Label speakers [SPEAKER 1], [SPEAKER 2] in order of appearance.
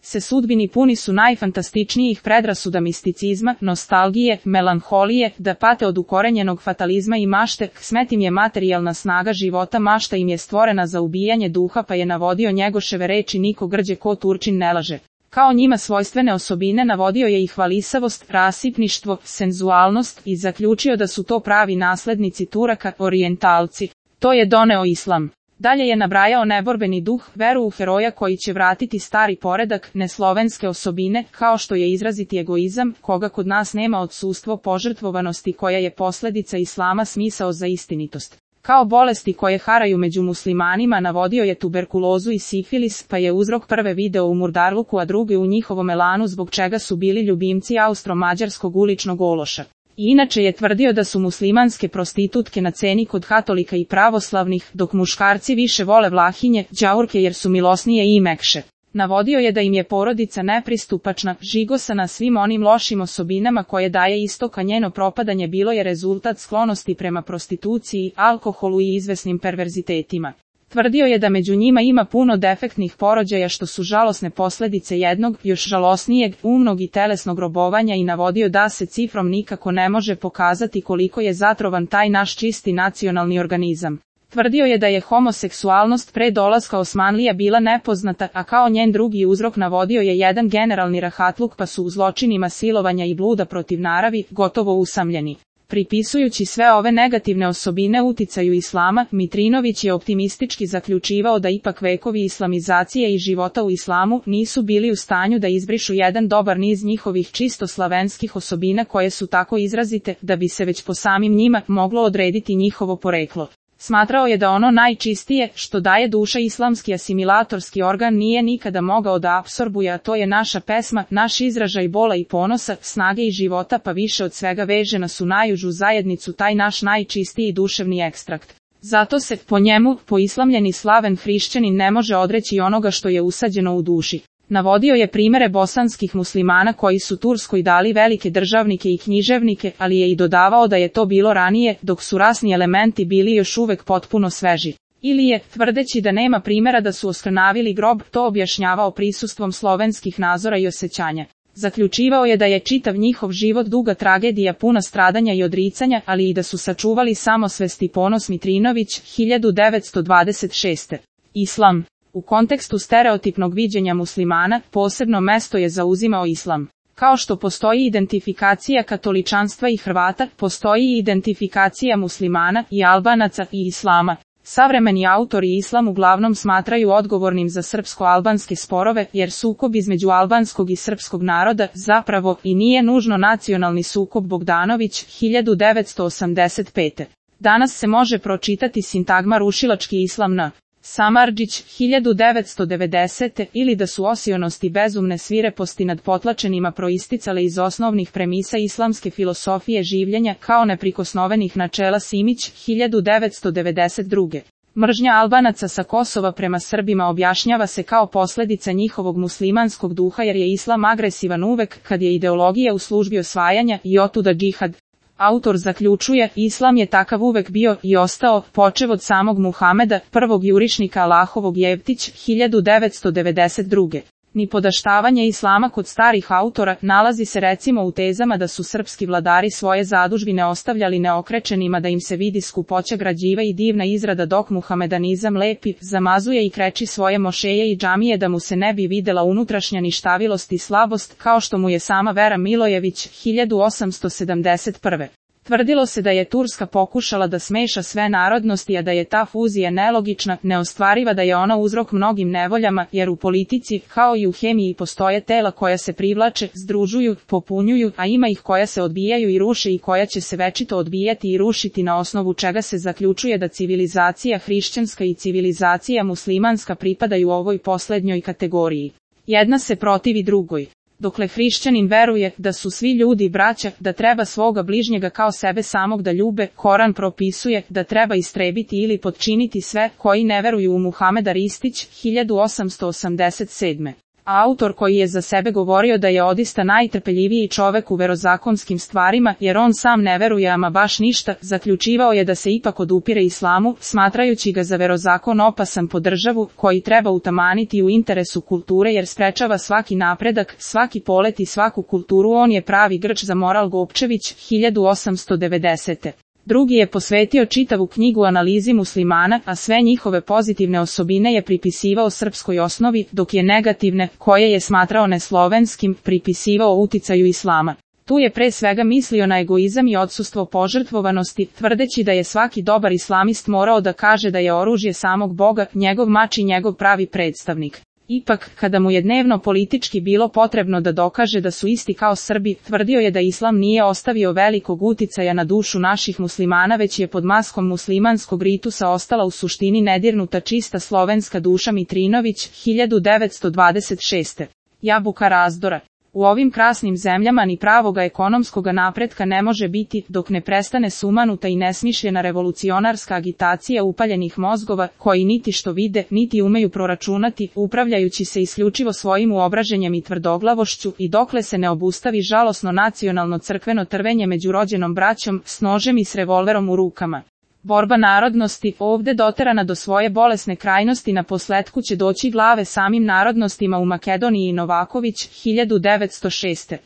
[SPEAKER 1] se sudbini puni su najfantastičnijih predrasuda misticizma, nostalgije, melanholije, da pate od ukorenjenog fatalizma i mašte, smet im je materijalna snaga života, mašta im je stvorena za ubijanje duha, pa je navodio Njegoševe reči niko grđe ko Turčin ne laže. Kao njima svojstvene osobine navodio je i hvalisavost, rasipništvo, senzualnost i zaključio da su to pravi naslednici Turaka, orijentalci. To je doneo islam. Dalje je nabrajao neborbeni duh, veru u heroja koji će vratiti stari poredak, neslovenske osobine, kao što je izraziti egoizam, koga kod nas nema, odsustvo požrtvovanosti koja je posljedica islama, smisao za istinitost. Kao bolesti koje haraju među muslimanima navodio je tuberkulozu i sifilis, pa je uzrok prve video u Murdarluku, a drugi u njihovom elanu, zbog čega su bili ljubimci austro-mađarskog uličnog ološa. I inače je tvrdio da su muslimanske prostitutke na ceni kod katolika i pravoslavnih, dok muškarci više vole vlahinje, đaurke jer su milosnije i mekše. Navodio je da im je porodica nepristupačna, žigosana svim onim lošim osobinama koje daje istok, a njeno propadanje bilo je rezultat sklonosti prema prostituciji, alkoholu i izvesnim perverzitetima. Tvrdio je da među njima ima puno defektnih porođaja što su žalosne posljedice jednog, još žalosnijeg, umnog i telesnog robovanja i navodio da se cifrom nikako ne može pokazati koliko je zatrovan taj naš čisti nacionalni organizam. Tvrdio je da je homoseksualnost pre dolaska Osmanlija bila nepoznata, a kao njen drugi uzrok navodio je jedan generalni rahatluk, pa su u zločinima silovanja i bluda protiv naravi gotovo usamljeni. Pripisujući sve ove negativne osobine uticaju islama, Mitrinović je optimistički zaključivao da ipak vekovi islamizacije i života u islamu nisu bili u stanju da izbrišu jedan dobar niz njihovih čisto slavenskih osobina koje su tako izrazite da bi se već po samim njima moglo odrediti njihovo poreklo. Smatrao je da ono najčistije, što daje duša, islamski asimilatorski organ, nije nikada mogao da apsorbuje, a to je naša pesma, naš izražaj bola i ponosa, snage i života, pa više od svega veže nas u najužu zajednicu taj naš najčistiji duševni ekstrakt. Zato se, po njemu, poislamljeni slaven hrišćanin ne može odreći onoga što je usađeno u duši. Navodio je primere bosanskih muslimana koji su Turskoj dali velike državnike i književnike, ali je i dodavao da je to bilo ranije, dok su rasni elementi bili još uvek potpuno sveži. Ili je, tvrdeći da nema primjera da su oskrnavili grob, to objašnjavao prisustvom slovenskih nazora i osjećanja. Zaključivao je da je čitav njihov život duga tragedija puna stradanja i odricanja, ali i da su sačuvali samosvest i ponos. Mitrinović, 1926. Islam. U kontekstu stereotipnog viđenja muslimana, posebno mesto je zauzimao islam. Kao što postoji identifikacija katoličanstva i Hrvata, postoji i identifikacija muslimana i Albanaca i islama. Savremeni autori islam uglavnom smatraju odgovornim za srpsko-albanske sporove, jer sukob između albanskog i srpskog naroda zapravo i nije nužno nacionalni sukob. Bogdanović, 1985. Danas se može pročitati sintagma rušilački islam na Samardžić, 1990. ili da su osionosti bezumne svireposti nad potlačenima proisticale iz osnovnih premisa islamske filosofije življenja kao neprikosnovenih načela. Simić, 1992. Mržnja Albanaca sa Kosova prema Srbima objašnjava se kao posljedica njihovog muslimanskog duha, jer je islam agresivan uvek kad je ideologija u službi osvajanja i otuda džihad. Autor zaključuje, islam je takav uvek bio i ostao, počev od samog Muhameda, prvog jurišnika Allahovog. Jevtić, 1992. Nipodaštavanje islama kod starih autora nalazi se recimo u tezama da su srpski vladari svoje zadužbine ostavljali neokrečenima, da im se vidi skupoća građiva i divna izrada, dok muhamedanizam lepi, zamazuje i kreči svoje mošeje i džamije da mu se ne bi videla unutrašnja ništavilost i slabost, kao što mu je sama Vera Milojević, 1871. Tvrdilo se da je Turska pokušala da smeša sve narodnosti, a da je ta fuzija nelogična, neostvariva, da je ona uzrok mnogim nevoljama, jer u politici, kao i u hemiji, postoje tela koja se privlače, združuju, popunjuju, a ima ih koja se odbijaju i ruše i koja će se večito odbijati i rušiti, na osnovu čega se zaključuje da civilizacija hrišćanska i civilizacija muslimanska pripadaju ovoj poslednjoj kategoriji. Jedna se protivi drugoj. Dokle hrišćanin veruje da su svi ljudi braća, da treba svoga bližnjega kao sebe samog da ljube, Koran propisuje da treba istrebiti ili potčiniti sve koji ne veruju u Muhameda. Ristić, 1887. Autor koji je za sebe govorio da je odista najtrpeljiviji čovek u verozakonskim stvarima, jer on sam ne veruje ama baš ništa, zaključivao je da se ipak odupire islamu, smatrajući ga za verozakon opasan po državu, koji treba utamaniti u interesu kulture jer sprečava svaki napredak, svaki polet i svaku kulturu. On je pravi Grč za moral. Gopčević, 1890. Drugi je posvetio čitavu knjigu analizi muslimana, a sve njihove pozitivne osobine je pripisivao srpskoj osnovi, dok je negativne, koje je smatrao neslovenskim, pripisivao uticaju islama. Tu je pre svega mislio na egoizam i odsustvo požrtvovanosti, tvrdeći da je svaki dobar islamist morao da kaže da je oružje samog Boga, njegov mač i njegov pravi predstavnik. Ipak, kada mu je dnevno politički bilo potrebno da dokaže da su isti kao Srbi, tvrdio je da islam nije ostavio velikog uticaja na dušu naših muslimana, već je pod maskom muslimanskog ritusa ostala u suštini nedirnuta čista slovenska duša. Mitrinović, 1926. Jabuka razdora. U ovim krasnim zemljama ni pravoga ekonomskoga napretka ne može biti, dok ne prestane sumanuta i nesmišljena revolucionarska agitacija upaljenih mozgova, koji niti što vide, niti umeju proračunati, upravljajući se isključivo svojim uobraženjem i tvrdoglavošću, i dokle se ne obustavi žalosno nacionalno crkveno trvenje među rođenom braćom, s nožem i s revolverom u rukama. Borba narodnosti, ovde doterana do svoje bolesne krajnosti, na posletku će doći glave samim narodnostima u Makedoniji. Novaković, 1906.